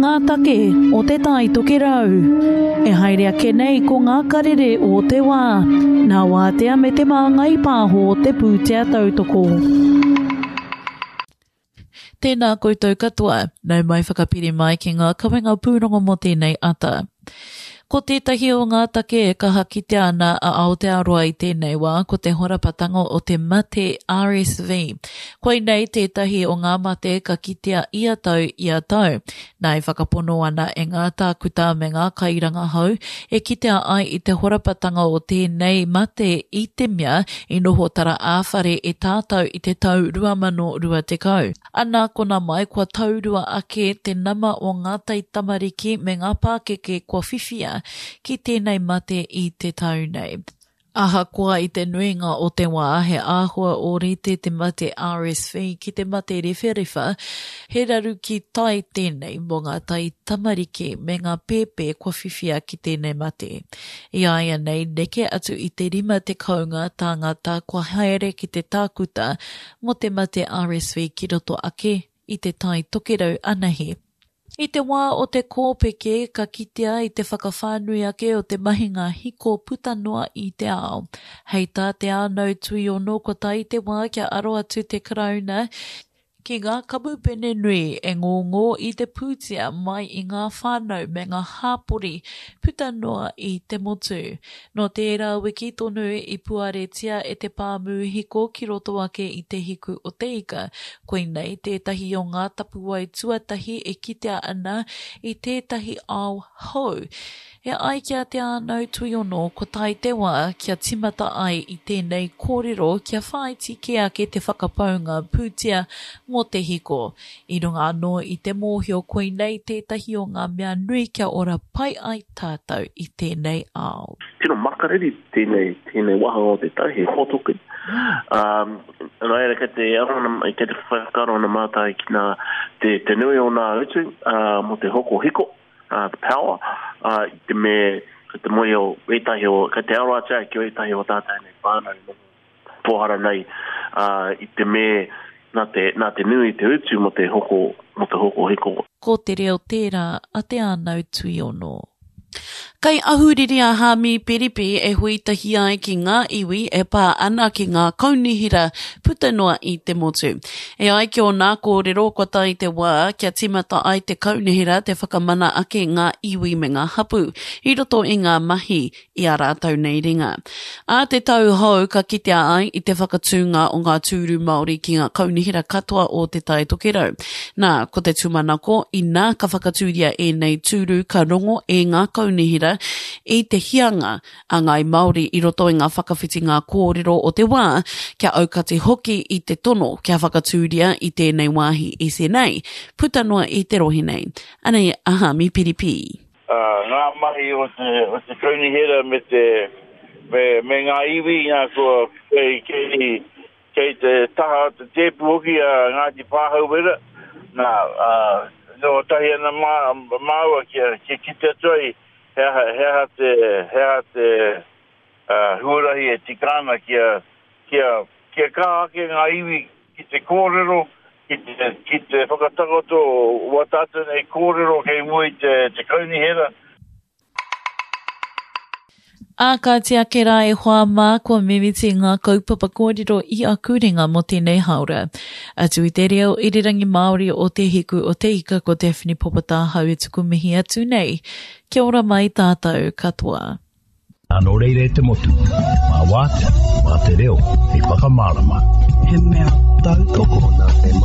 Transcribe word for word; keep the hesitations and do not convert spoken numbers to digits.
ngā take o Te Tai Tokerau. E haere ake nei ko ngā karere o te wā, nā Wātea me Te Māngai Pāho te pūtea tautoko. Tēnā koutou katoa, nau mai whakapiri mai ki ngā kawenga pūrongo mō tēnei ata. Ko tētahi o ngā take e kaha kitea ana a Aotearoa i tēnei wā ko te horapatanga o te mate R S V. Koinei tētahi o ngā mate ka kitea ia tau ia tau. Nā, e whakapono ana e ngā tākuta me ngā kairangahau e kitea ai i te horapatanga o tēnei mate i te mea i noho tara ā-whare e tātou i te tau rua mano rua tekau. Ana kona mai kua taurua ake te nama o ngā taitamariki me ngā pākeke kua whiwhia ki tēnei mate i te tau nei. Ahakoa i te nuinga o te wā he āhua ōrite te mate R S V ki te mate rewharewha, he raru ki tai tēnei mō ngā taitamariki me ngā pēpē kua whiwhia ki tēnei mate. I āianei neke atu i te rima tekau ngā tāngata kua haere ki te tākuta mō te mate R S V ki roto ake i te Tai Tokerau anahe. I te wā o te kōpeke ka kitea i te whakawhānui ake o te mahinga hiko puta noa i te ao. Hei tā Te Ānau Tuiono kua tae te wā kia aro atu te Karauna ki ngā kamupene nui e ngongō i te pūtea mai i ngā whānau me ngā hāpori puta noa i te motu. Nō tērā wiki tonu i puaretia e te pāmu hiko ki roto ake i te Hiku o te Ika. Koinei tētahi o ngā tapuwae tuatahi e kitea ana i tētahi ao hou. E ai ki a Te Ānau Tuiono ko tae te wā kia timata ai i tēnei kōrero kia whāiti kē ake te whakapaunga pūtea mō te hiko. I runga anō i te mōhio koinei tētahi o ngā mea nui kia ora pai ai tātou i tēnei ao. Tino makariri tēnei, tēnei wāhanga o te tau, he hōtoke. Um, nā reira kei te aro kei te whakaaro ana mātai ki nā te, te nui o nā utu uh, mō te hoko hiko, uh, the power, uh, i te me te moi o ētahi o, kei te aro atu ai ki o ētahi o tātou nei whānau noho pōhara nei uh, i te me nā te, nā te nui te utu mō te hoko, mō te hoko hiko. Ko te reo tērā a Te Ānau Tuiono. Kei Ahuriri a Hāmi Piripi e hui tahi ai ki ngā iwi e pā ana ki ngā kaunihera puta noa i te motu. E ai ki ōna kōrero kua tae te wā kia timata ai te kaunihera te whakamana ake ngā iwi me ngā hapu i roto i ngā mahi i a rātou nei ringa. Ā te tau hou ka kitea ai i te whakatūnga o ngā tūru Māori ki ngā kaunihera katoa o Te Tai Tokerau. Nā, ko te tūmanako, inā ka whakatūria ēnei tūru ka rongo e ngā kaunihera i te hianga a Ngāi Māori i roto i ngā whakawhitinga kōrero o te wā, kia aukati hoki i te tono kia whakatūria i tēnei wāhi S N A, puta noa i te rohe nei. Anei a Hāmi Piripi. Uh, ngā mahi o te, o te kaunihera me te me, me ngā iwi ngā kua kei, kei, kei te taha o te tēpu hoki a Ngāti Pāhauwera. Nā, uh, no tahi ana mā, māua kia, kia kite atu ai he aha, he aha te, he aha te uh, huarahi e tika ana kia, kia, kia kaha ake ngā iwi ki te kōrero, ki te, ki te whakatakoto o wā tātou nei kōrero kei mua i te, te kaunihera. Ā, kāti ake rā e hoa mā kua mimiti ngā kaupapa kōrero i aku ringa mō tēnei haora. Atu i te reo irirangi Māori o Te Hiku o Te Ika ko Daphne Popotāhau e tuku mihi atu nei. Kia ora mai tātou katoa. Nō reira e te motu, mā Wātea, mā te reo, hei whakamārama. He mea tautoko. Nā te